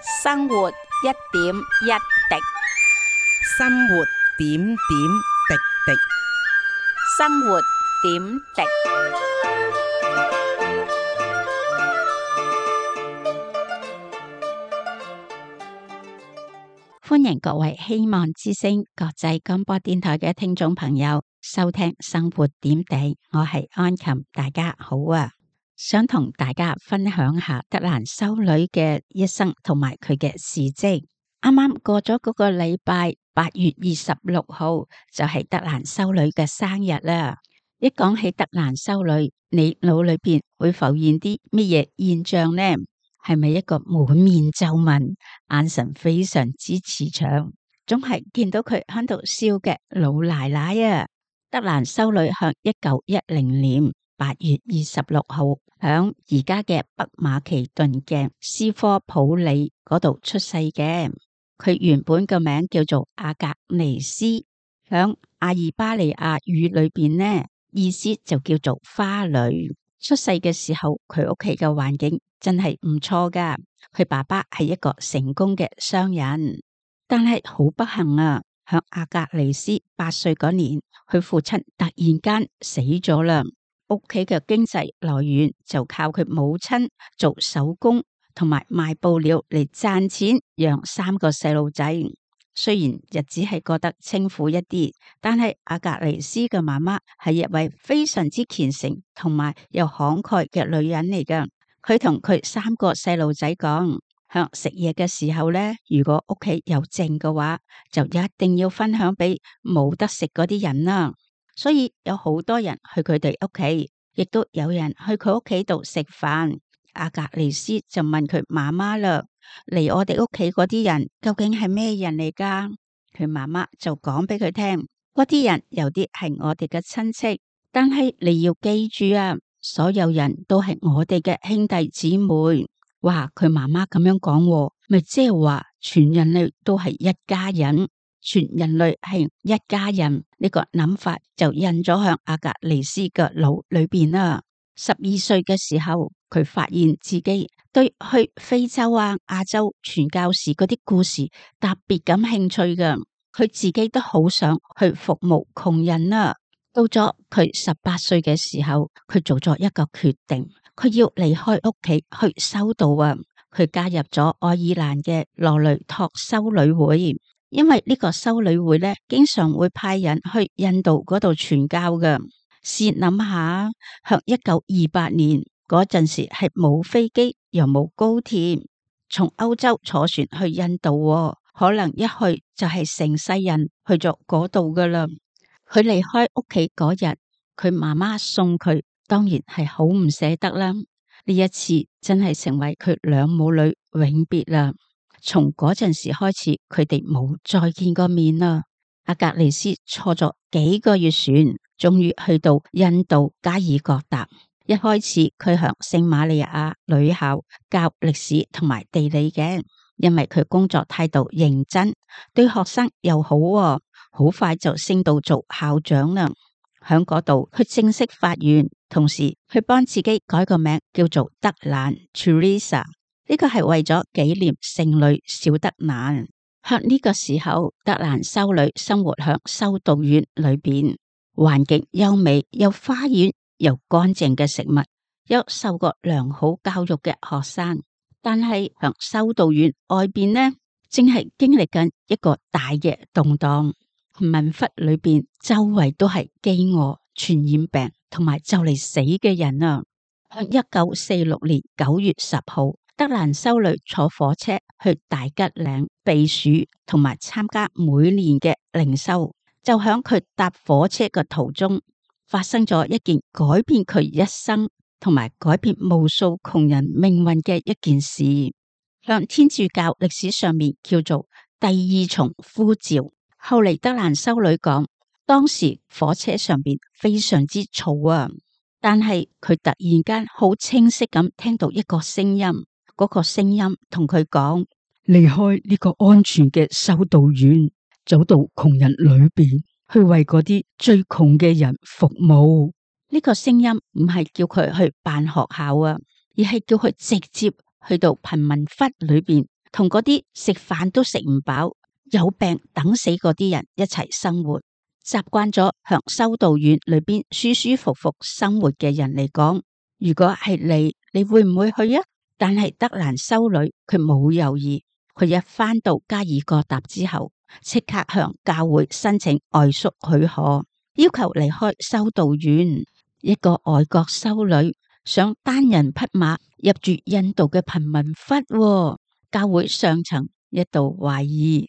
生活一點一滴，生活點點滴滴。生活點滴。歡迎各位希望之聲國際廣播電台嘅聽眾朋友收聽生活點滴，我係安琴，大家好啊！想同大家分享下德蘭修女嘅一生同埋佢嘅事蹟。啱啱過咗嗰個禮拜，8月26號就係德蘭修女嘅生日啦。一講起德蘭修女，你腦裏邊會浮現啲乜嘢現象呢？係咪一個滿面皺紋、眼神非常之慈祥，總係見到佢喺度笑嘅老奶奶啊？德蘭修女響1910年8月26號響而家嘅北馬其頓嘅斯科普里嗰度出世嘅。佢原本個名叫做阿格尼斯，響阿爾巴尼亞語裏邊呢，意思就叫做花女。出世嘅時候，佢屋企嘅環境真係唔錯噶。佢爸爸係一個成功嘅商人，但係好不幸啊，響阿格尼斯8歲嗰年，佢父親突然間死咗啦。屋企嘅經濟來源就靠佢母親做手工同埋賣布料嚟賺錢，養3個細路仔。雖然日子係過得清苦一啲，但係阿格尼斯嘅媽媽係一位非常之虔誠同埋又慷慨嘅女人嚟噶。佢同佢3個細路仔講，響食嘢嘅時候呢，如果屋企有剩嘅話，就一定要分享俾冇得食嗰啲人啦。所以有好多人去佢哋屋企，亦都有人去佢屋企度食飯。阿格尼斯就問佢媽媽啦，嚟我哋屋企嗰啲人究竟係咩人嚟噶？佢媽媽就講俾佢聽，嗰啲人有啲係我哋嘅親戚，但係你要記住啊，所有人都係我哋嘅兄弟姊妹。哇！佢媽媽咁樣講，咪即係話全人類都係一家人，全人類係一家人，呢個諗法就印咗向阿格尼斯嘅腦裏邊啦。12歲嘅時候，佢發現自己對去非洲啊、亞洲傳教士嗰啲故事特別感興趣嘅，佢自己都好想去服務窮人啊。到咗佢18歲嘅時候，佢做咗一個決定，佢要離開屋企去修道啊。佢加入咗愛爾蘭嘅羅雷托修女會，因為呢個修女會咧，經常會派人去印度嗰度傳教嘅。試諗下，向1928年嗰陣時係冇飛機又冇高鐵，從歐洲坐船去印度，可能一去就係成世人去咗嗰度噶啦。佢離開屋企嗰日，佢媽媽送佢，當然係好唔捨得啦。呢一次真係成為佢兩母女永別啦。從嗰陣時開始，佢哋冇再見過面啦。阿格尼斯坐咗幾個月船，終於去到印度加爾各答。一開始佢向聖瑪利亞女校教歷史同埋地理嘅，因為佢工作態度認真，對學生又好，好快就升到做校長啦。響嗰度佢正式發願，同時佢幫自己改個名叫做德蘭 Teresa， 呢個係為咗紀念聖女小德蘭。響呢個時候，德蘭修女生活響修道院裏邊，環境優美，有花園，有乾淨嘅食物，有受過良好教育嘅學生。但係響修道院外邊呢，正係經歷緊一個大嘅動盪。民窟裏邊周圍都係飢餓、傳染病同埋就嚟死嘅人啊！響1946年9月10號，德蘭修女坐火車去大吉嶺避暑，同埋參加每年嘅靈修。就響佢搭火車嘅途中，發生咗一件改變佢一生同埋改變無數窮人命運嘅一件事，向天主教歷史上面叫做第二重呼召。後嚟德蘭修女講，當時火車上邊非常之嘈啊，但係佢突然間好清晰咁聽到一個聲音，嗰個聲音同佢講，離開呢個安全嘅修道院，走到窮人裏邊去為嗰啲最窮嘅人服務。呢個聲音唔係叫佢去辦學校啊，而係叫佢直接去到貧民窟裏邊同嗰啲食飯都食唔飽、有病等死嗰啲人一齊生活。習慣咗響修道院裏邊舒舒服服生活嘅人嚟講，如果係你會唔會去啊？但係德蘭修女佢冇猶豫，佢一返到加爾各答之後，即刻向教會申請外宿許可，要求離開修道院。一個外國修女想單人匹馬入住印度嘅貧民窟，教會上層一度懷疑，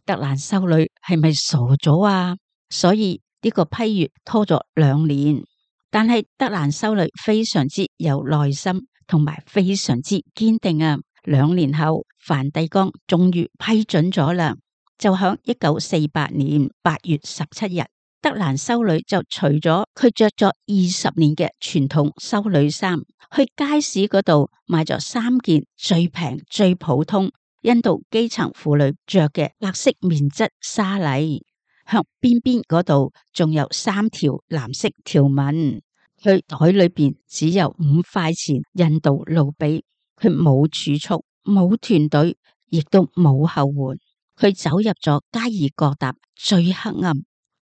德蘭修女係咪傻咗啊？所以呢個批閱拖咗2年，但係德蘭修女非常之有耐心，同埋非常之堅定啊！2年後，梵蒂岡終於批准咗啦。就響1948年8月17日，德蘭修女就除咗佢着咗20年嘅傳統修女衫，去街市嗰度買咗3件最平最普通印度基層婦女着嘅白色棉質紗麗，向邊邊嗰度仲有3條藍色條紋。佢袋裏邊只有5塊錢印度盧比，佢冇儲蓄，冇團隊，亦都冇後援。佢走入咗加爾各答最黑暗、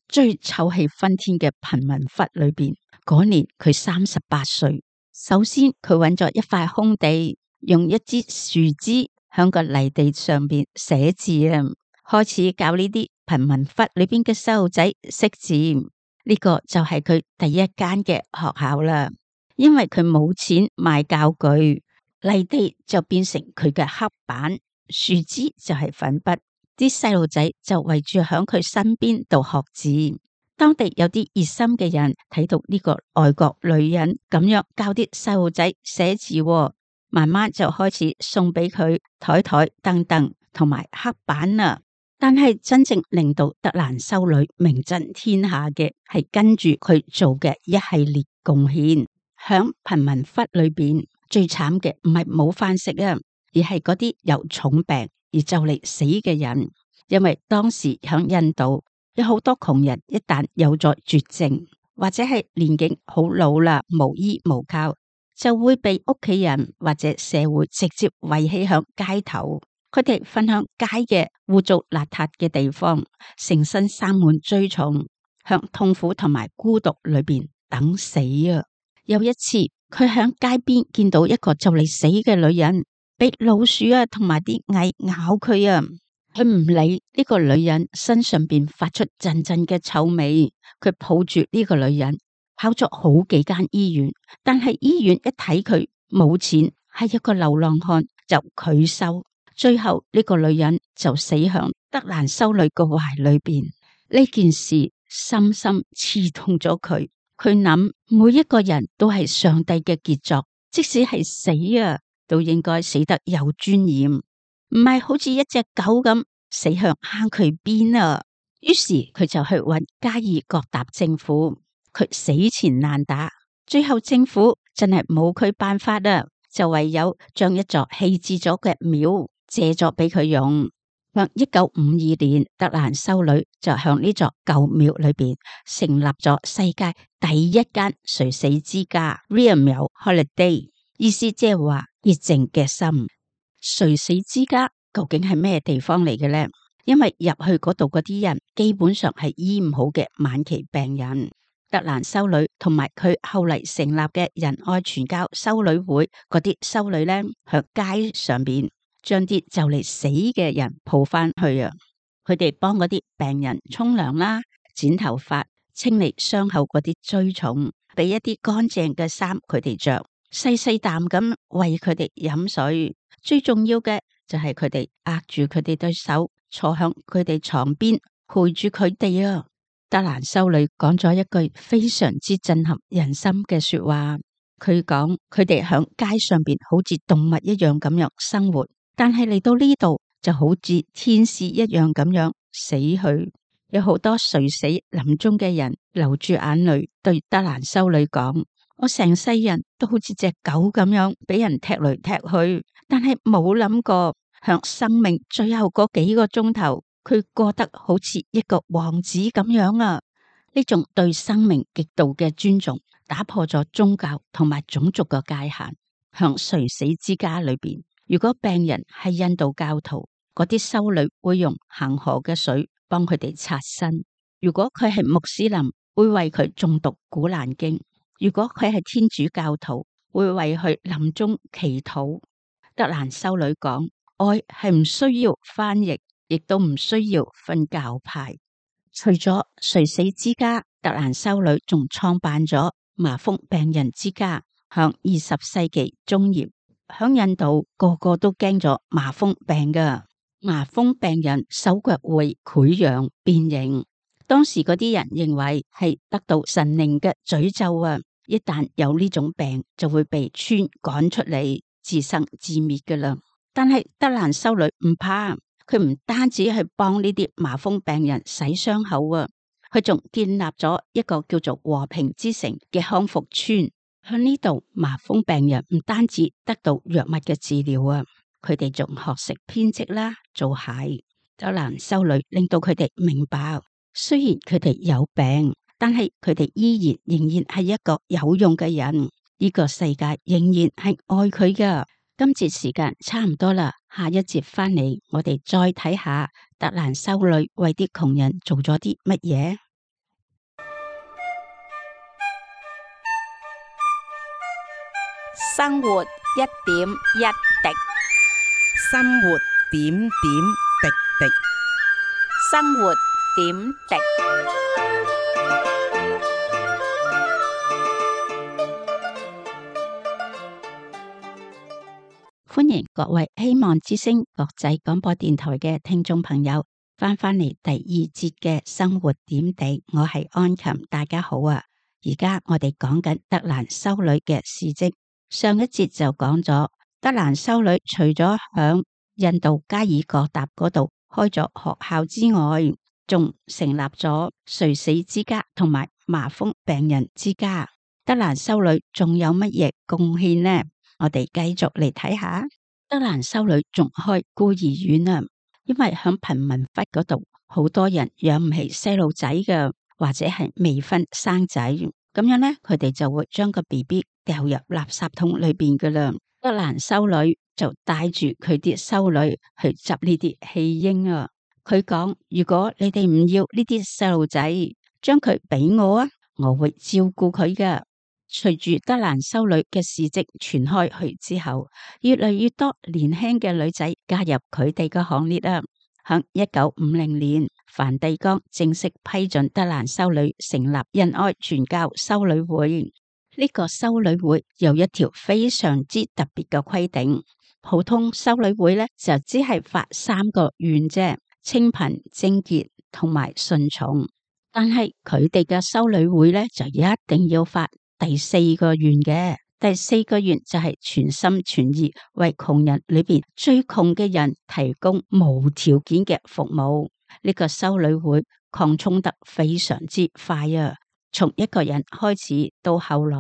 最臭氣熏天嘅貧民窟裏邊。嗰年佢38歲。首先佢揾咗一塊空地，用一支樹枝響個泥地上邊寫字啊，開始教呢啲貧民窟裏邊嘅細路仔識字。呢個就係佢第一間嘅學校啦。因為佢冇錢買教具，泥地就變成佢嘅黑板，樹枝就係粉筆。啲細路仔就圍住響佢身邊度學字。當地有啲熱心嘅人睇到呢個外國女人咁樣教啲細路仔寫字，慢慢就開始送俾佢台凳凳同埋黑板啦。但係真正令到德蘭修女名震天下嘅係跟住佢做嘅一系列貢獻。響貧民窟裏邊最慘嘅唔係冇飯食啊，而係嗰啲有重病而就嚟死嘅人。因為當時響印度有好多窮人，一旦有咗絕症或者係年紀好老啦，無依無靠，就會被屋企人或者社會直接遺棄響街頭。佢哋瞓響街嘅污糟邋遢嘅地方，成身生滿蛆蟲，向痛苦同埋孤獨裏邊等死啊！有一次，佢響街邊見到一個就嚟死嘅女人，俾老鼠啊同埋啲蟻咬佢啊！佢唔理呢個女人身上邊發出陣陣嘅臭味，佢抱住呢個女人跑咗好幾間醫院，但係醫院一睇佢冇錢，係一個流浪漢，就拒收。最後呢個女人就死響德蘭修女個懷裏邊。呢件事深深刺痛咗佢。佢諗每一個人都係上帝嘅傑作，即使係死啊，都應該死得有尊嚴，唔係好似一隻狗咁死向坑渠邊啊！於是佢就去揾加爾各答政府，佢死纏爛打，最後政府真係冇佢辦法啦，就唯有將一座棄置咗嘅廟借咗俾佢用。向1952年，德蘭修女就向呢座舊廟裏邊成立咗世界第一間垂死之家 Real Mill Holiday， 意思即係話熱靜嘅心。垂死之家究竟係咩地方嚟嘅呢？因為入去嗰度嗰啲人基本上係醫唔好嘅晚期病人。德蘭修女同埋佢後嚟成立嘅仁愛傳教修女會嗰啲修女呢，響街上邊將啲就嚟死嘅人抱翻去啊！佢哋幫嗰啲病人沖涼啦、剪頭髮、清理傷口嗰啲蛆蟲，俾一啲乾淨嘅衫佢哋着，細細啖咁餵佢哋飲水。最重要嘅就係佢哋握住佢哋對手，坐響佢哋床邊陪住佢哋啊！德蘭修女講咗一句非常之震撼人心嘅說話，佢講佢哋響街上邊好似動物一樣咁樣生活，但係嚟到呢度就好似天使一樣咁樣死去。有好多垂死臨終嘅人流住眼淚對德蘭修女講：我成世人都好似隻狗咁樣俾人踢來踢去，但係冇諗過向生命最後嗰幾個鐘頭，佢過得好似一個王子咁樣啊！呢種對生命極度嘅尊重，打破咗宗教同埋種族嘅界限。向垂死之家裏邊，如果病人係印度教徒，嗰啲修女會用恒河嘅水幫佢哋擦身；如果佢係穆斯林，會為佢誦讀古蘭經；如果佢係天主教徒，會為佢臨終祈禱。德蘭修女講，愛係唔需要翻譯，亦都唔需要分教派。除咗垂死之家，德蘭修女仲創辦咗麻風病人之家。響20世紀中葉，響印度個個都驚咗麻風病噶，麻風病人手腳會潰瘍變形。當時嗰啲人認為係得到神靈嘅詛咒啊！一旦有呢種病，就會被村趕出嚟，自生自滅噶啦。但係德蘭修女唔怕，佢唔單止係幫呢啲麻風病人洗傷口啊，佢仲建立咗一個叫做和平之城嘅康復村。喺呢度，麻風病人唔單止得到藥物嘅治療啊，佢哋仲學識編織啦、做鞋。德蘭修女令到佢哋明白，雖然佢哋有病，但係佢哋仍然係一個有用嘅人。呢個世界仍然係愛佢噶。今節時間差唔多啦，下一節翻嚟，我哋再睇下德蘭修女為啲窮人做咗啲乜嘢。生活一點一滴，生活點點滴滴。生活點滴。歡迎各位希望之聲國際廣播電台嘅聽眾朋友翻返嚟第二節嘅生活點滴，我係安琴，大家好啊！而家我哋講緊德蘭修女嘅事蹟。上一節就講咗德蘭修女除咗響印度加爾各答嗰度開咗學校之外，仲成立咗垂死之家同埋麻風病人之家。德蘭修女仲有乜嘢貢獻呢？我哋繼續嚟睇下。德蘭修女仲開孤兒院啊，因為響貧民窟嗰度好多人養唔起細路仔嘅，或者係未婚生仔，咁樣呢，佢哋就會將個 BB 掉入垃圾桶裏邊噶啦。德蘭修女就帶住佢啲修女去執呢啲棄嬰啊。佢講：如果你哋唔要呢啲細路仔，將佢俾我啊，我會照顧佢噶。隨住德蘭修女嘅事跡傳開去之後，越嚟越多年輕嘅女仔加入佢哋嘅行列啊。響1950年，梵蒂岡正式批准德蘭修女成立仁愛傳教修女會。呢個修女會有一條非常之特別嘅規定，普通修女會咧就只係發3個願啫：清貧、貞潔同埋順從。但係佢哋嘅修女會咧就一定要發第4個願嘅。第4個願就係全心全意為窮人裏邊最窮嘅人提供無條件嘅服務。呢個修女會擴充得非常之快啊！從一個人開始到後來，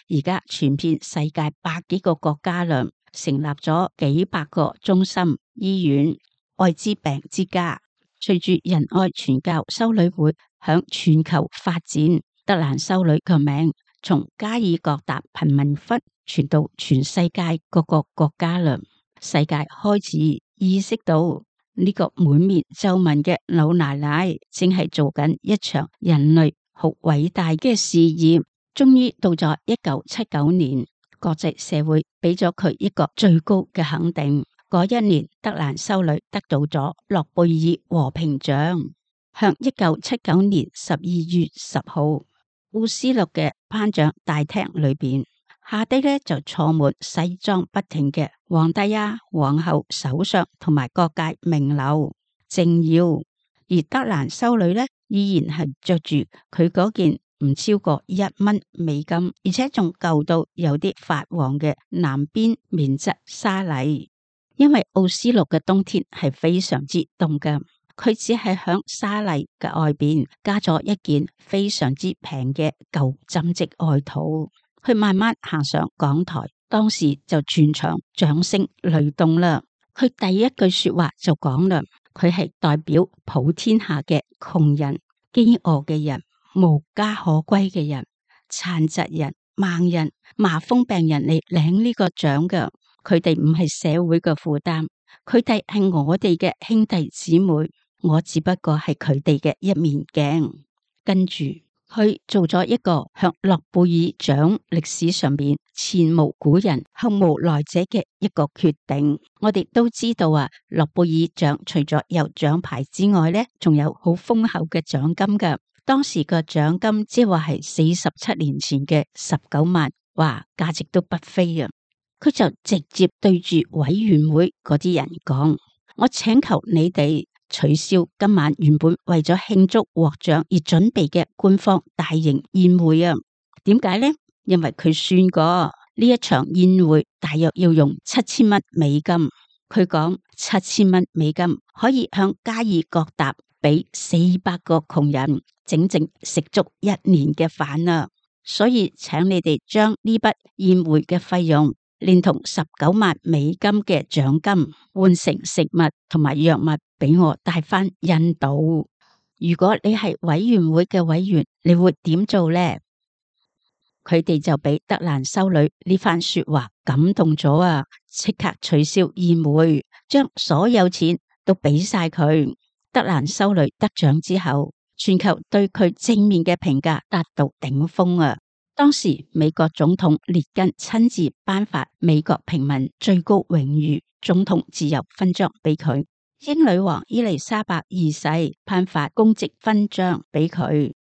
而家傳遍世界100幾個國家啦，成立咗幾百個中心、醫院、愛滋病之家。隨住仁愛傳教修女會響全球發展，德蘭修女嘅名從加爾各答貧民窟傳到全世界各個國家啦。世界開始意識到呢個滿面皺紋嘅老奶奶正係做緊一場人類好偉大嘅事業。終於到咗1979年，國際社會俾咗佢一個最高嘅肯定。嗰一年，德蘭修女得到咗諾貝爾和平獎。向1979年12月10號，奧斯陸嘅頒獎大廳裏邊，下低呢就坐滿西裝筆挺嘅皇帝啊、皇后、首相同埋各界名流政要，而德蘭修女呢依然係着住佢嗰件唔超過1蚊美金，而且仲舊到有啲發黃嘅南邊棉質紗麗。因為奧斯陸嘅冬天係非常之凍㗎，佢只係響紗麗嘅外邊加咗一件非常之平嘅舊針織外套。佢慢慢行上講台，當時就全場掌聲雷動啦。佢第一句說話就講啦，佢係代表普天下嘅窮人、飢餓嘅人、無家可歸嘅人、殘疾人、盲人、麻風病人嚟領呢個獎㗎。佢哋唔係社會嘅負擔，佢哋係我哋嘅兄弟姊妹，我只不過係佢哋嘅一面鏡。跟住佢做咗一個向諾貝爾獎歷史上面前無古人後無來者嘅一個決定。我哋都知道啊，諾貝爾獎除咗有獎牌之外呢，仲有好豐厚嘅獎金噶。當時個獎金即係話係47年前嘅19萬，哇，價值都不菲啊！佢就直接對住委員會嗰啲人講：我請求你哋取消今晚原本為咗慶祝獲獎而準備嘅官方大型宴會啊！點解呢？因為佢算過呢一場宴會大約要用7000蚊美金。佢講7000蚊美金可以向加爾各答俾400個窮人整整食足1年嘅飯啊！所以請你哋將呢筆宴會嘅費用連同19萬美金嘅獎金換成食物同埋藥物俾我帶返印度。如果你係委員會嘅委員，你會點做呢？佢哋就俾德蘭修女呢番說話感動咗啊！即刻取消宴會，將所有錢都俾晒佢。德蘭修女得獎之後，全球對佢正面嘅評價達到頂峰啊！當時美國總統列根親自頒發美國平民最高榮譽總統自由勳章俾佢，英女王伊麗莎白二世頒發公職勳章俾佢，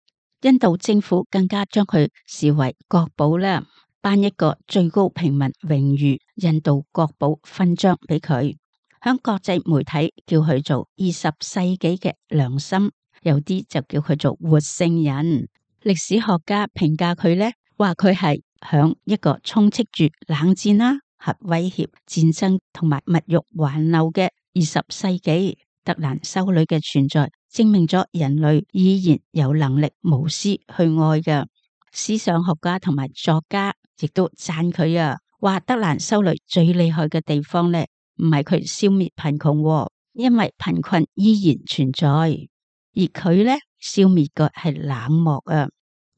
印度政府更加將佢視為國寶啦，頒一個最高平民榮譽印度國寶勳章俾佢。響國際媒體叫佢做20世紀嘅良心，有啲就叫佢做活聖人。歷史學家評價佢呢，話佢係響一個充斥住冷戰啦、核威脅、戰爭同埋物欲橫流嘅20世紀，德蘭修女嘅存在證明咗人類依然有能力無私去愛嘅。思想學家同埋作家亦都讚佢啊，話德蘭修女最厲害嘅地方呢，唔係佢消滅貧窮，因為貧困依然存在，而佢呢，消滅嘅係冷漠啊，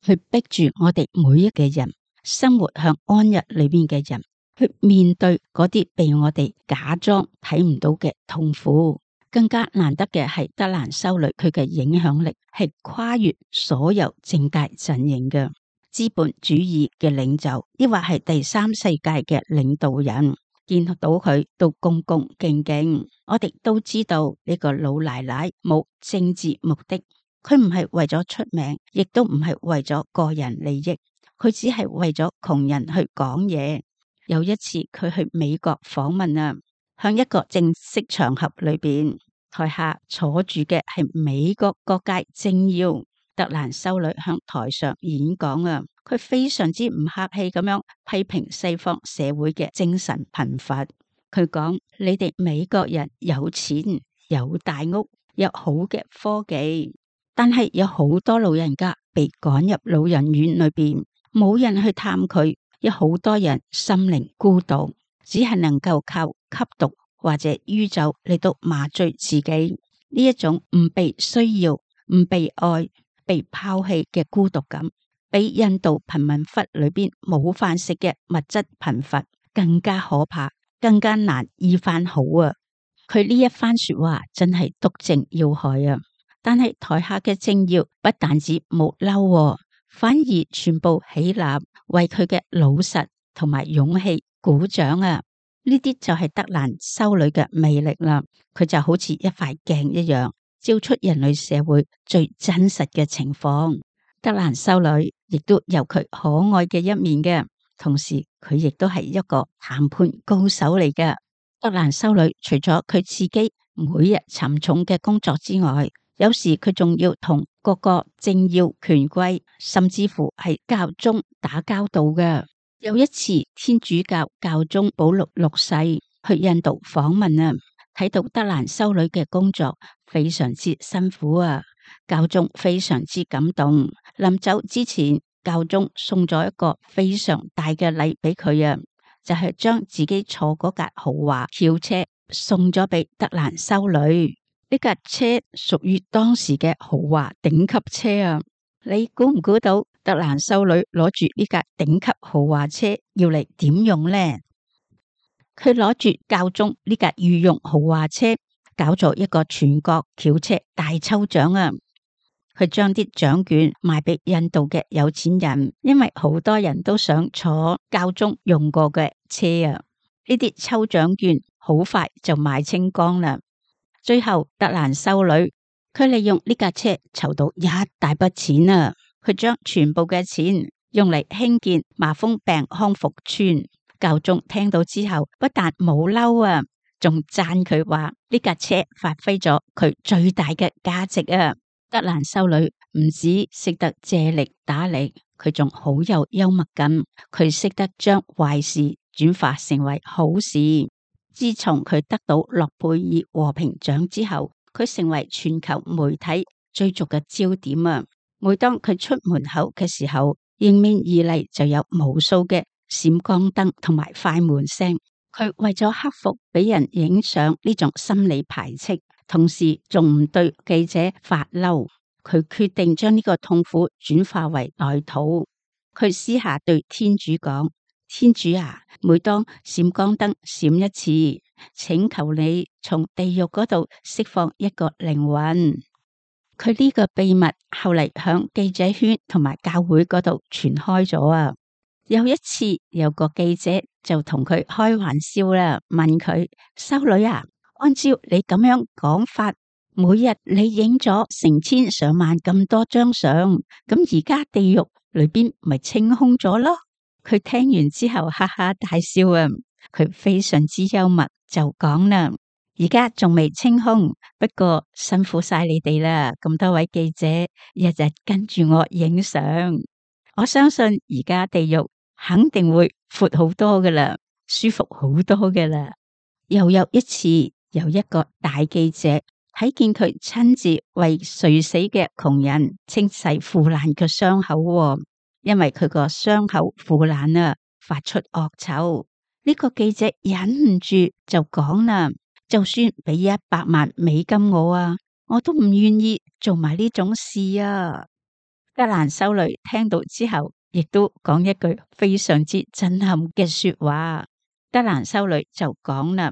去逼住我哋每一個人生活向安逸裏面嘅人，去面對嗰啲被我哋假裝睇唔到嘅痛苦。更加難得嘅係德蘭修女，佢嘅影響力係跨越所有政界陣營嘅資本主義嘅領袖，抑或係第三世界嘅領導人。見到佢都恭恭敬敬。我哋都知道呢個老奶奶冇政治目的，佢唔係為咗出名，亦都唔係為咗個人利益，佢只係為咗窮人去講嘢。有一次佢去美國訪問啊，向一個正式場合裏邊，台下坐住嘅係美國各界政要，德蘭修女向台上演講啊。佢非常之唔客氣咁樣批評西方社會嘅精神貧乏。佢講：你哋美國人有錢、有大屋、有好嘅科技，但係有好多老人家被趕入老人院裏邊，冇人去探佢。有好多人心靈孤獨，只係能夠靠吸毒或者酗酒嚟到麻醉自己。呢一種唔被需要、唔被愛、被拋棄嘅孤獨感，比印度貧民窟裏邊冇飯食嘅物質貧乏更加可怕，更加難醫翻好啊！佢呢一番說話真係篤正要害啊！但係台下嘅政要不但止冇嬲，反而全部起立為佢嘅老實同埋勇氣鼓掌啊！呢啲就係德蘭修女嘅魅力啦！佢就好似一塊鏡一樣，照出人類社會最真實嘅情況。德蘭修女亦都有佢可愛嘅一面嘅，同時佢亦都係一個談判高手嚟嘅。德蘭修女除咗佢自己每日沉重嘅工作之外，有時佢仲要同各個政要權貴，甚至乎係教宗打交道嘅。有一次，天主教教宗保祿6世去印度訪問啊，睇到德蘭修女嘅工作非常之辛苦啊。教宗非常之感動，臨走之前，教宗送咗一個非常大嘅禮俾佢啊，就係將自己坐嗰架豪華轎車送咗俾德蘭修女。呢架車屬於當時嘅豪華頂級車啊！你估唔估到德蘭修女攞住呢架頂級豪華車要嚟點用呢？佢攞住教宗呢架御用豪華車，搞咗一個全國轎車大抽獎啊！佢將啲獎券賣俾印度嘅有錢人，因為好多人都想坐教宗用過嘅車啊！呢啲抽獎券好快就賣清光啦。最後德蘭修女佢利用呢架車籌到一大筆錢啊！佢將全部嘅錢用嚟興建麻風病康復村。教宗聽到之後，不但冇嬲啊，仲讚佢話呢架車發揮咗佢最大嘅價值啊！德蘭修女唔止識得借力打力，佢仲好有幽默感。佢識得將壞事轉化成為好事。自從佢得到諾貝爾和平獎之後，佢成為全球媒體追逐嘅焦點啊！每當佢出門口嘅時候，迎面而嚟就有無數嘅閃光燈同埋快門聲。佢為咗克服俾人影相呢種心理排斥，同時仲唔對記者發嬲，佢決定將呢個痛苦轉化為代禱。佢私下對天主講：天主啊，每當閃光燈閃一次，請求你從地獄嗰度釋放一個靈魂。佢呢個秘密後嚟響記者圈同埋教會嗰度傳開咗啊！有一次有個記者就同佢開玩笑啦，問佢：修女啊，按照你咁樣講法，每日你影咗成千上萬咁多張相，咁而家地獄裏邊咪清空咗咯？佢聽完之後哈哈大笑啊！佢非常之幽默，就講啦：而家仲未清空，不過辛苦晒你哋啦，咁多位記者日日跟住我影相，我相信而家地獄肯定會闊好多噶啦，舒服好多噶啦。又有一次，有一個大記者睇見佢親自為垂死嘅窮人清洗腐爛嘅傷口，因為佢個傷口腐爛啊，發出惡臭。呢個記者忍唔住就講啦：就算俾$100萬我啊，我都唔願意做埋呢種事啊！德蘭修女聽到之後，亦都講一句非常之震撼嘅說話。德蘭修女就講啦：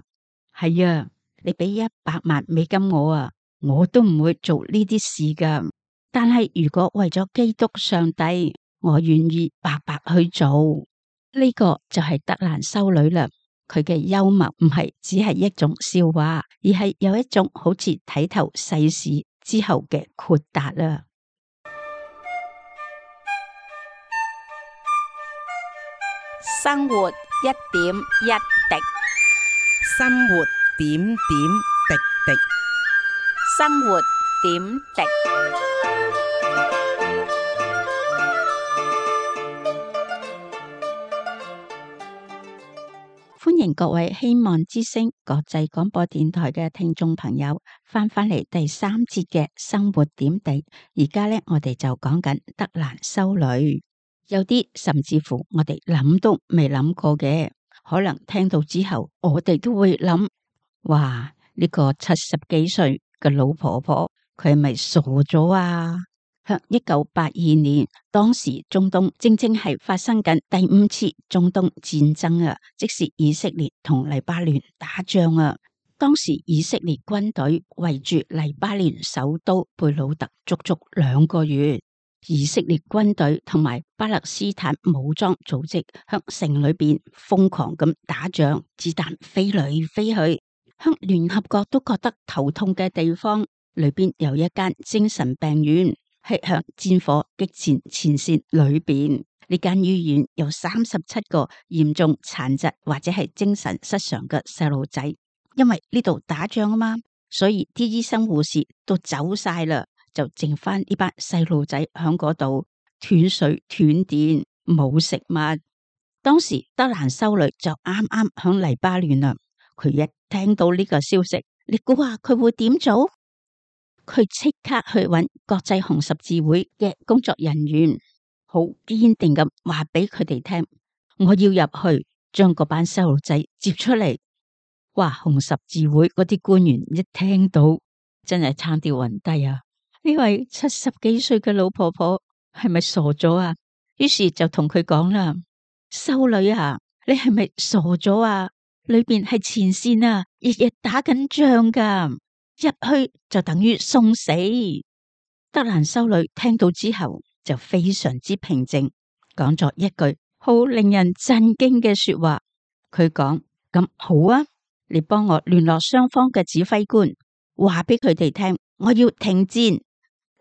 係啊，你俾$100萬我啊，我都唔會做呢啲事噶。但係如果為咗基督上帝，我願意白白去做。呢個就係德蘭修女啦。佢嘅幽默唔係只係一種笑話，而係有一種好似睇透世事之後嘅豁達啊！生活一點一滴，生活點點滴滴。生活點滴。歡迎各位希望之聲國際廣播電台嘅聽眾朋友翻返嚟第3節嘅生活點滴。而家呢，我哋就講緊德蘭修女，有啲甚至乎我哋諗都未諗過嘅，可能聽到之後，我哋都會諗：哇，呢個70幾歲嘅老婆婆，佢係咪傻咗啊？喺1982年，當時中東正係發生緊第5次中東戰爭啊，即是以色列同黎巴嫩打仗啊。當時以色列軍隊圍住黎巴嫩首都貝魯特足足2個月，以色列軍隊同埋巴勒斯坦武裝組織向城裏邊瘋狂咁打仗，子彈飛來飛去。向聯合國都覺得頭痛嘅地方裏邊有一間精神病院。係向戰火激戰前線裏邊，呢間醫院有37個嚴重殘疾或者係精神失常嘅細路仔，因為呢度打仗啊嘛，所以啲醫生護士都走晒啦，就剩翻呢班細路仔響嗰度斷水斷電冇食物。當時德蘭修女就啱啱響黎巴嫩啦，佢一聽到呢個消息，你估下佢會點做？佢即刻去揾國際紅十字會嘅工作人員，好堅定咁話俾佢哋聽，我要入去將嗰班細路仔接出嚟。哇！紅十字會嗰啲官員一聽到，真係差啲暈低啊！呢位70幾歲嘅老婆婆係咪傻咗啊？於是就同佢講啦：修女啊，你係咪傻咗啊？裏邊係前線啊，日日打緊仗噶，入去就等於送死。德蘭修女聽到之後就非常之平靜，講咗一句好令人震驚嘅說話。佢講：咁好啊，你幫我聯絡雙方嘅指揮官，話俾佢哋聽，我要停戰。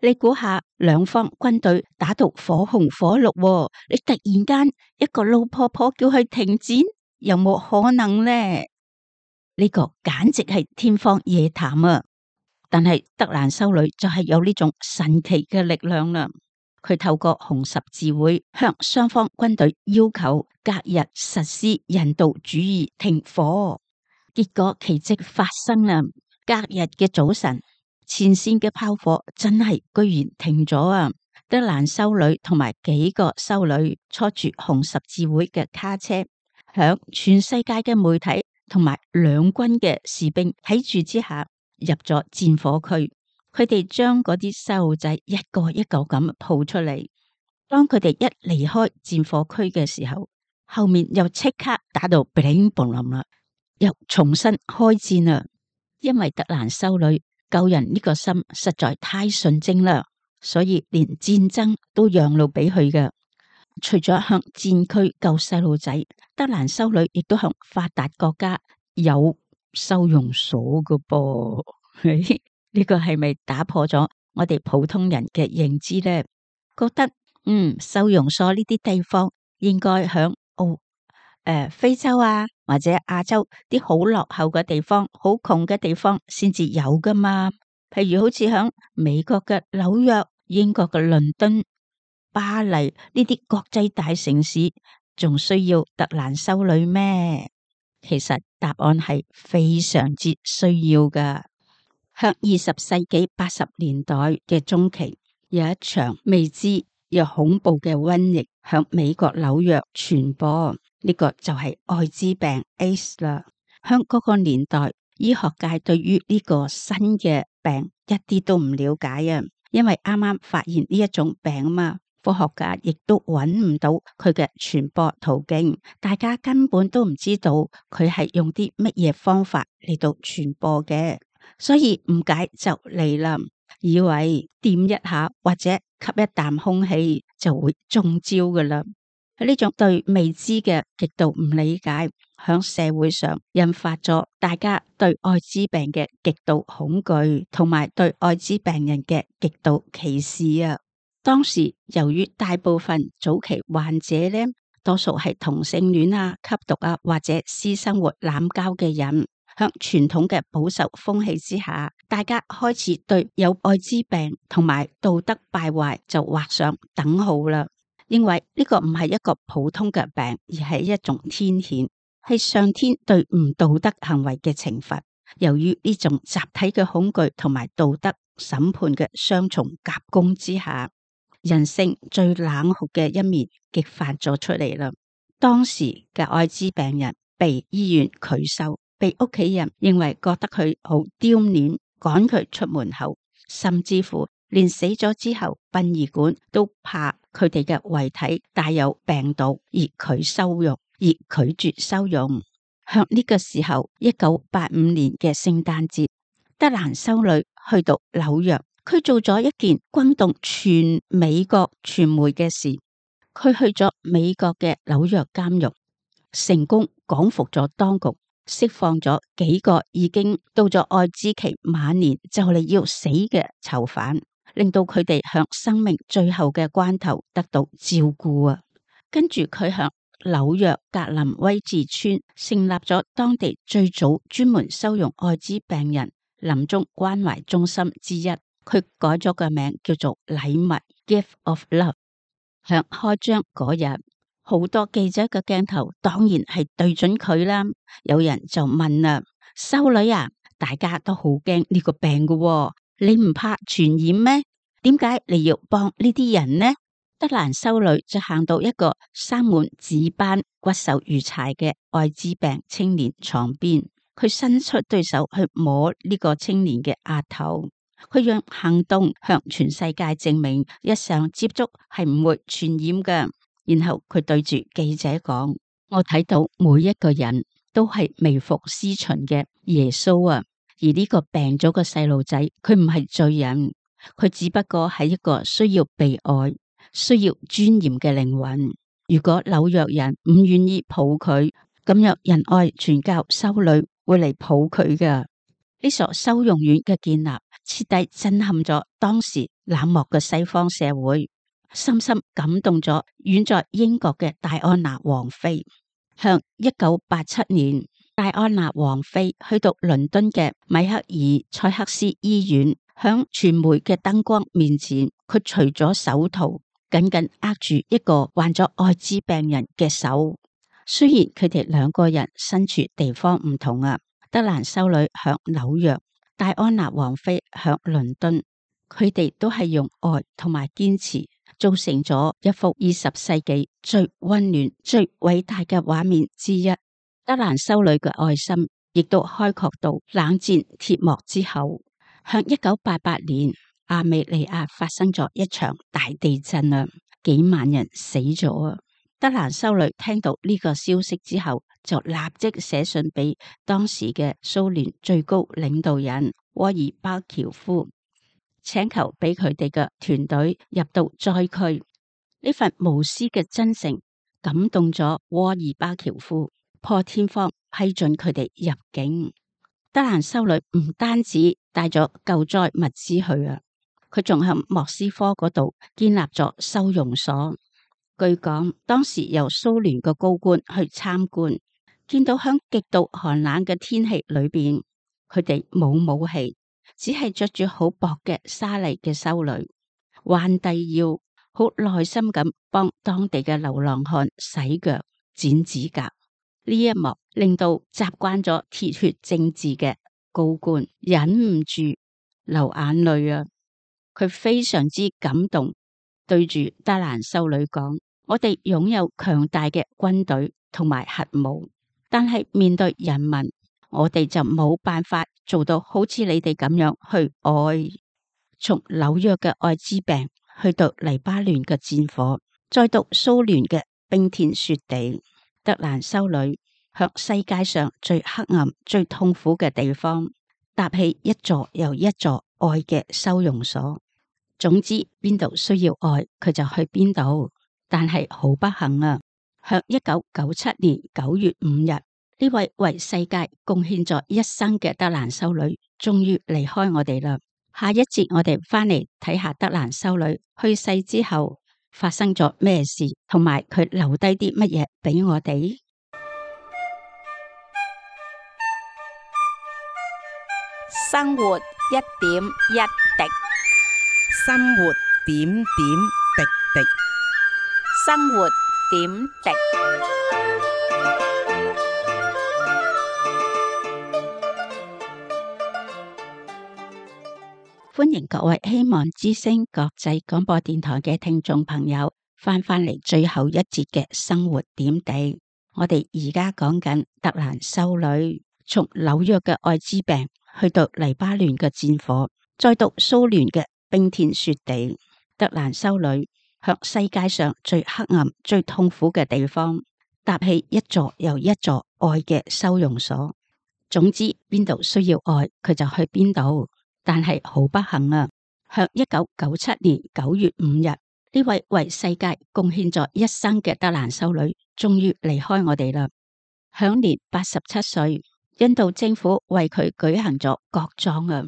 你估下，兩方軍隊打到火紅火綠喎，你突然間一個老婆婆叫佢停戰，有冇可能呢？呢個簡直係天方夜譚啊！但係德蘭修女就係有呢種神奇嘅力量啦。佢透過紅十字會向雙方軍隊要求隔日實施人道主義停火，結果奇蹟發生啦！隔日嘅早晨，前線嘅炮火真係居然停咗啊！德蘭修女同埋幾個修女坐住紅十字會嘅卡車，響全世界嘅媒體同埋兩軍嘅士兵睇住之下，入咗戰火區。佢哋將嗰啲細路仔一個一個咁抱出嚟。當佢哋一離開戰火區嘅時候，後面又即刻打到乒鈴乓啷啦，又重新開戰啦。因為德蘭修女救人呢個心實在太純正啦，所以連戰爭都讓路俾佢嘅。除咗向戰區救細路仔，德蘭修女亦都向發達國家有收容所嘅噃。呢個係咪打破咗我哋普通人嘅認知呢？覺得收容所呢啲地方應該響非洲啊或者亞洲啲好落後嘅地方、好窮嘅地方先至有噶嘛？譬如好似響美國嘅紐約、英國嘅倫敦、巴黎呢啲國際大城市，仲需要德蘭修女咩？其實答案係非常之需要噶。向20世紀80年代嘅中期，有一場未知又恐怖嘅瘟疫向美國紐約傳播，呢個就係艾滋病 AIDS 啦。響嗰個年代，醫學界對於呢個新嘅病一啲都唔了解啊，因為啱啱發現呢一種病啊嘛，科學家亦都揾唔到佢嘅傳播途徑，大家根本都唔知道佢係用啲乜嘢方法嚟到傳播嘅。所以誤解就嚟啦，以為掂一下或者吸一啖空氣就會中招噶啦。呢種對未知嘅極度唔理解，響社會上引發咗大家對艾滋病嘅極度恐懼，同埋對艾滋病人嘅極度歧視啊。當時由於大部分早期患者呢，多數係同性戀啊、吸毒啊或者私生活濫交嘅人。向傳統嘅保守風氣之下，大家開始對有艾滋病同埋道德敗壞就畫上等號啦。認為呢個唔係一個普通嘅病，而係一種天譴，係上天對唔道德行為嘅懲罰。由於呢種集體嘅恐懼同埋道德審判嘅雙重夾攻之下，人性最冷酷嘅一面激發咗出嚟啦。當時嘅艾滋病人被醫院拒收，被屋企人認為覺得佢好丟臉，趕佢出門口，甚至乎連死咗之後，殯儀館都怕佢哋嘅遺體帶有病毒而拒收容，而拒絕收容。向呢個時候，1985年嘅聖誕節，德蘭修女去到紐約，佢做咗一件轟動全美國傳媒嘅事。佢去咗美國嘅紐約監獄，成功講服咗當局，釋放咗幾個已經到咗艾滋期晚年就嚟要死嘅囚犯，令到佢哋向生命最後嘅關頭得到照顧啊！跟住佢向紐約格林威治村成立咗當地最早專門收容艾滋病人臨終關懷中心之一，佢改咗個名叫做禮物 Gift of Love。向開張嗰日，好多記者嘅鏡頭當然係對準佢啦。有人就問啦：修女啊，大家都好驚呢個病㗎喎，你唔怕傳染咩？點解你要幫呢啲人呢？德蘭修女就行到一個生滿紫斑、骨瘦如柴嘅艾滋病青年床邊，佢伸出對手去摸呢個青年嘅額頭，佢用行動向全世界證明日常接觸係唔會傳染嘅。然後佢對住記者講：我睇到每一個人都係未服司巡嘅耶穌啊。而呢個病咗嘅細路仔，佢唔係罪人，佢只不過係一個需要被愛、需要尊嚴嘅靈魂。如果紐約人唔願意抱佢，咁樣仁愛傳教修女會嚟抱佢㗎。呢所收容院嘅建立，徹底震撼咗當時冷漠嘅西方社會，深深感動咗遠在英國嘅戴安娜王妃。向1987年，戴安娜王妃去到倫敦嘅米克爾塞克斯醫院，響傳媒嘅燈光面前，佢除咗手套，緊緊握住一個患咗艾滋病人嘅手。雖然佢哋兩個人身處地方唔同啊，德蘭修女響紐約，戴安娜王妃響倫敦，佢哋都係用愛同埋堅持，造成咗一幅20世紀最溫暖、最偉大嘅畫面之一。德蘭修女嘅愛心亦都開闊到冷戰鐵幕之後。向1988年，亞美尼亞發生咗一場大地震啊，幾萬人死咗啊。德蘭修女聽到呢個消息之後，就立即寫信俾當時嘅蘇聯最高領導人戈爾巴喬夫，請求俾佢哋嘅團隊入到災區。呢份無私嘅真誠感動咗戈爾巴喬夫，破天荒批准佢哋入境。德蘭修女唔單止帶咗救災物資去啊，佢仲喺莫斯科嗰度建立咗收容所。據講，當時由蘇聯嘅高官去參觀，見到響極度寒冷嘅天氣裏邊，佢哋冇武器，只係着住好薄嘅紗麗嘅修女，彎低腰，好耐心咁幫當地嘅流浪漢洗腳、剪指甲。呢一幕令到習慣咗鐵血政治嘅高官忍唔住流眼淚啊！佢非常之感動，對住德蘭修女講：我哋擁有強大嘅軍隊同埋核武，但係面對人民，我哋就冇辦法做到好似你哋咁樣去愛。從紐約嘅艾滋病，去到黎巴嫩嘅戰火，再到蘇聯嘅冰天雪地，德蘭修女向世界上最黑暗、最痛苦嘅地方搭起一座又一座愛嘅收容所。總之，邊度需要愛，佢就去邊度。但係好不幸啊，向1997年9月5日，呢位為世界貢獻咗一生嘅德蘭修女終於離開我哋啦。下一節我哋翻嚟睇下德蘭修女去世之後發生咗咩事，同埋佢留低啲乜嘢俾我哋。生活一點一滴，生活點點滴滴。生活點滴。歡迎各位希望之聲國際廣播電台嘅聽眾朋友翻嚟最後一節嘅生活點滴。我哋而家講緊德蘭修女從紐約嘅艾滋病，去到黎巴嫩嘅戰火，再到蘇聯嘅冰天雪地。德蘭修女向世界上最黑暗、最痛苦嘅地方搭起一座又一座愛嘅收容所。總之，邊度需要愛，佢就去邊度。但係好不幸啊，向1997年9月5日，呢位為世界貢獻咗一生嘅德蘭修女終於離開我哋啦，享年87歲。印度政府為佢舉行咗國葬啊！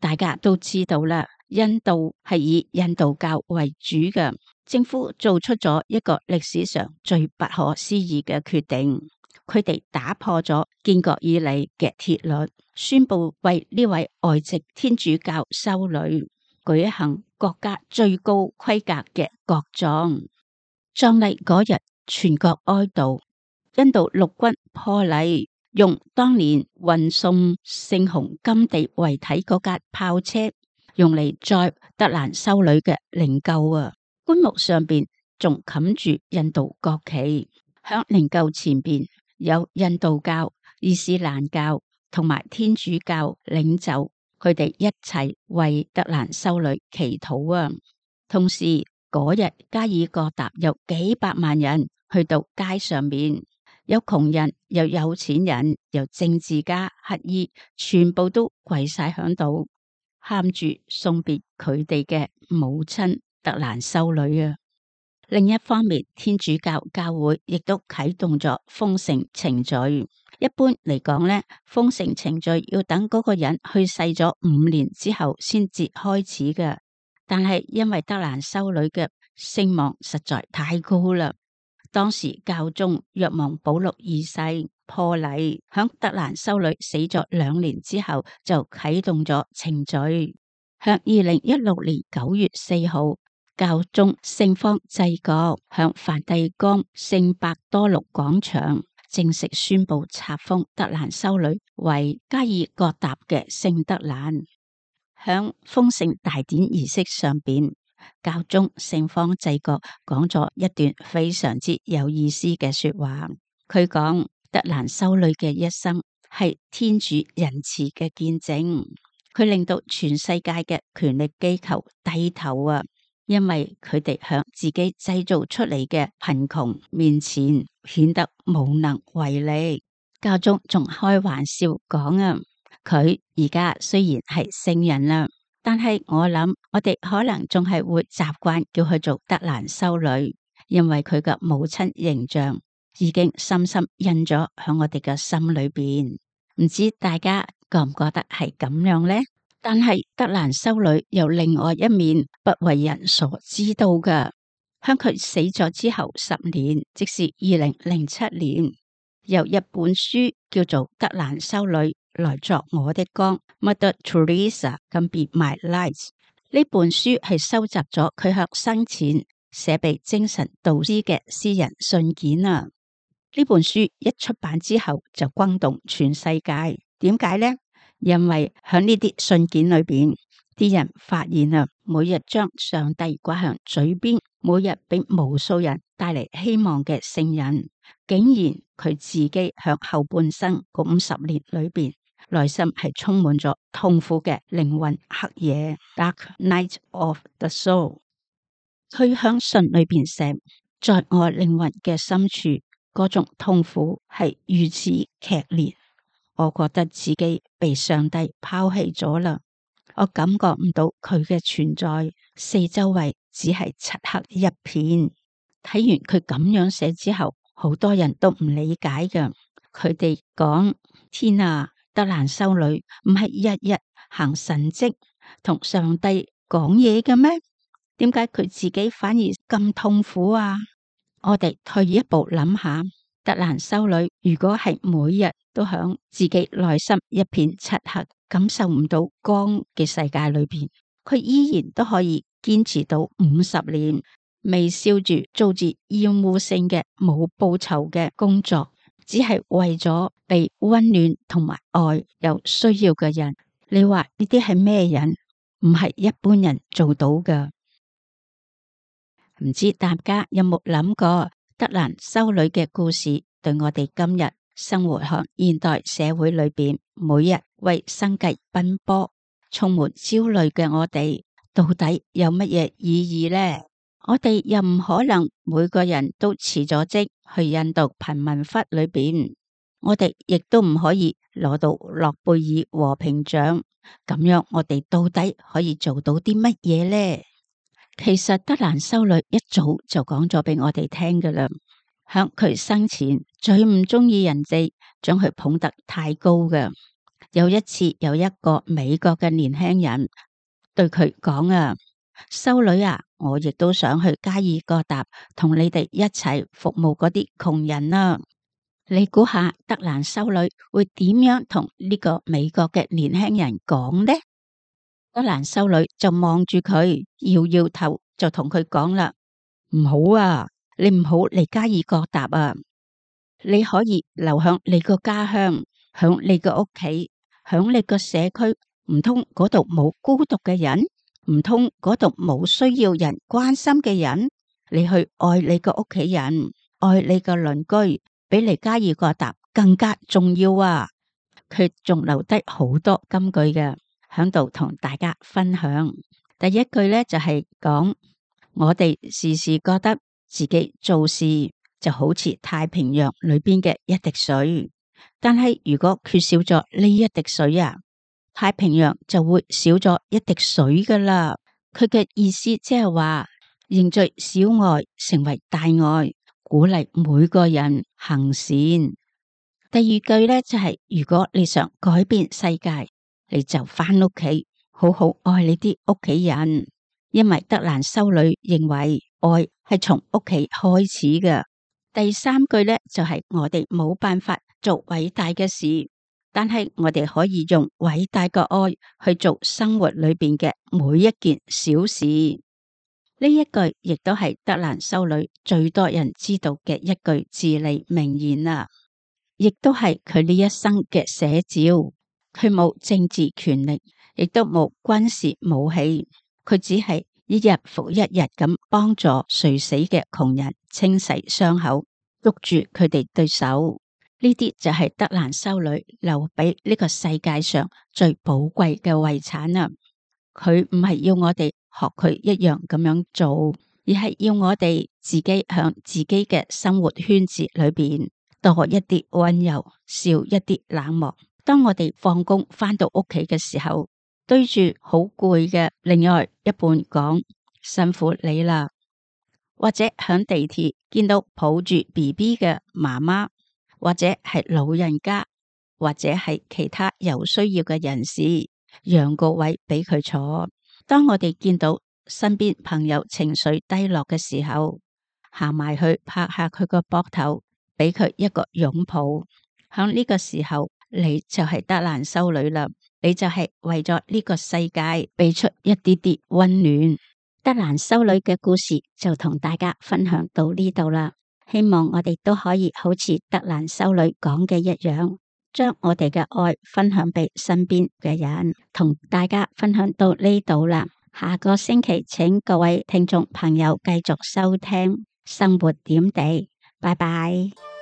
大家都知道啦，印度係以印度教為主嘅，政府做出咗一個歷史上最不可思議嘅決定。佢哋打破咗建國以嚟嘅鐵律，宣布為呢位外籍天主教修女舉行國家最高規格嘅國葬。葬禮嗰日，全國哀悼。印度陸軍破例用當年運送聖雄甘地遺體嗰架炮車，用嚟載德蘭修女嘅靈柩啊！棺木上邊仲冚住印度國旗，響靈柩前邊有印度教、伊斯蘭教同埋天主教領袖，佢哋一齊為德蘭修女祈禱啊！同時嗰日加爾各答有幾百萬人去到街上面，有窮人，又有錢人，又政治家、乞兒，全部都跪晒響度，喊住送別佢哋嘅母親德蘭修女啊！另一方面，天主教教會亦都啟動咗封聖程序。一般嚟講咧，封聖程序要等嗰個人去世咗5年之後先至開始嘅。但係因為德蘭修女嘅聲望實在太高啦，當時教宗若望保祿2世破例，響德蘭修女死咗2年之後就啟動咗程序。響2016年9月4號，教宗聖方濟各向梵蒂岡聖伯多祿廣場正式宣布冊封德蘭修女為加爾各答嘅聖德蘭。響封聖大典儀式上邊，教宗聖方濟各講咗一段非常之有意思嘅說話。佢講德蘭修女嘅一生係天主仁慈嘅見證，佢令到全世界嘅權力機構低頭啊！因為佢哋向自己製造出嚟嘅貧窮面前顯得無能為力。教宗仲開玩笑講啊，佢而家雖然係聖人啦，但係我諗我哋可能仲係會習慣叫佢做德蘭修女，因為佢嘅母親形象已經深深印咗響我哋嘅心裏邊。唔知大家覺唔覺得係咁樣呢？但係德蘭修女有另外一面不為人所知道嘅。響佢死咗之後10年，即是2007年，有一本書叫做《德蘭修女來作我的光》（Mother Teresa Can Be My Light）。呢本書係收集咗佢響生前寫俾精神導師嘅私人信件啊。呢本書一出版之後就轟動全世界。點解呢？因為喺呢啲信件裏邊，啲人發現啊，每日將上帝掛響嘴邊，每日俾無數人帶嚟希望嘅聖人，竟然佢自己響後半生嗰50年裏邊，內心係充滿咗痛苦嘅靈魂黑夜 （Dark Night of the Soul）。佢響信裏邊寫，在我靈魂嘅深處，嗰種痛苦係如此劇烈。我覺得自己被上帝拋棄咗啦，我感覺唔到佢嘅存在，四周圍只係漆黑一片。睇完佢咁樣寫之後，好多人都唔理解嘅。佢哋講：天啊，德蘭修女唔係日日行神蹟同上帝講嘢嘅咩？點解佢自己反而咁痛苦啊？我哋退一步諗下。德蘭修女如果係每日都響自己內心一片漆黑，感受唔到光嘅世界裏邊，佢依然都可以堅持到50年，微笑住做住厭惡性嘅冇報酬嘅工作，只係為咗被溫暖同埋愛有需要嘅人。你話呢啲係咩人？唔係一般人做到㗎。唔知大家有冇諗過？德蘭修女嘅故事對我哋今日生活喺現代社會裏邊，每日為生計奔波、充滿焦慮嘅我哋，到底有乜嘢意義呢？我哋又唔可能每個人都辭咗職去印度貧民窟裏邊，我哋亦都唔可以攞到諾貝爾和平獎。咁樣我哋到底可以做到啲乜嘢呢？其實德蘭修女一早就講咗俾我哋聽㗎喇，響佢生前最唔中意人哋將佢捧得太高嘅。有一次有一個美國嘅年輕人對佢講啊，修女啊，我亦都想去加爾各答同你哋一齊服務嗰啲窮人啊。你估下德蘭修女會點樣同呢個美國嘅年輕人講呢？德蘭修女就望住佢，搖搖頭，就同佢講啦：唔好啊，你唔好嚟加爾各答啊！你可以留響你個家鄉，響你個屋企，響你個社區。唔通嗰度冇孤獨嘅人？唔通嗰度冇需要人關心嘅人？你去愛你個屋企人，愛你個鄰居，比嚟加爾各答更加重要啊！佢仲留低好多金句嘅。喺度同大家分享。第一句咧就係講，我哋時時覺得自己做事就好似太平洋裏邊嘅一滴水，但係如果缺少咗呢一滴水啊，太平洋就會少咗一滴水噶啦。佢嘅意思即係話凝聚小愛成為大愛，鼓勵每個人行善。第二句呢，就係如果你想改變世界，你就返屋企好好愛你啲屋企人，因為德蘭修女認為愛係從屋企開始嘅。第三句呢，就係我哋冇辦法做偉大嘅事，但係我哋可以用偉大嘅愛去做生活裏邊嘅每一件小事。呢一句亦都係德蘭修女最多人知道嘅一句至理名言啊，亦都係佢呢一生嘅寫照。佢冇政治權力，亦都冇軍事武器，佢只係一日復一日咁幫助垂死嘅窮人清洗傷口，捉住佢哋對手。呢啲就係德蘭修女留俾呢個世界上最寶貴嘅遺產啊！佢唔係要我哋學佢一樣咁樣做，而係要我哋自己向自己嘅生活圈子裏邊多一啲溫柔，少一啲冷漠。當我哋放工返到屋企嘅時候，對住好攰嘅另外一半講辛苦你啦，或者響地鐵見到抱住 BB 嘅媽媽，或者係老人家，或者係其他有需要嘅人士，讓個位俾佢坐。當我哋見到身邊朋友情緒低落嘅時候，行埋去拍下佢個膊頭，俾佢一個擁抱。響呢個時候，你就係德蘭修女啦，你就係為咗呢個世界俾出一啲啲溫暖。德蘭修女嘅故事就同大家分享到呢度啦，希望我哋都可以好似德蘭修女講嘅一樣，將我哋嘅愛分享俾身邊嘅人。同大家分享到呢度啦，下個星期請各位聽眾朋友繼續收聽生活點滴，拜拜。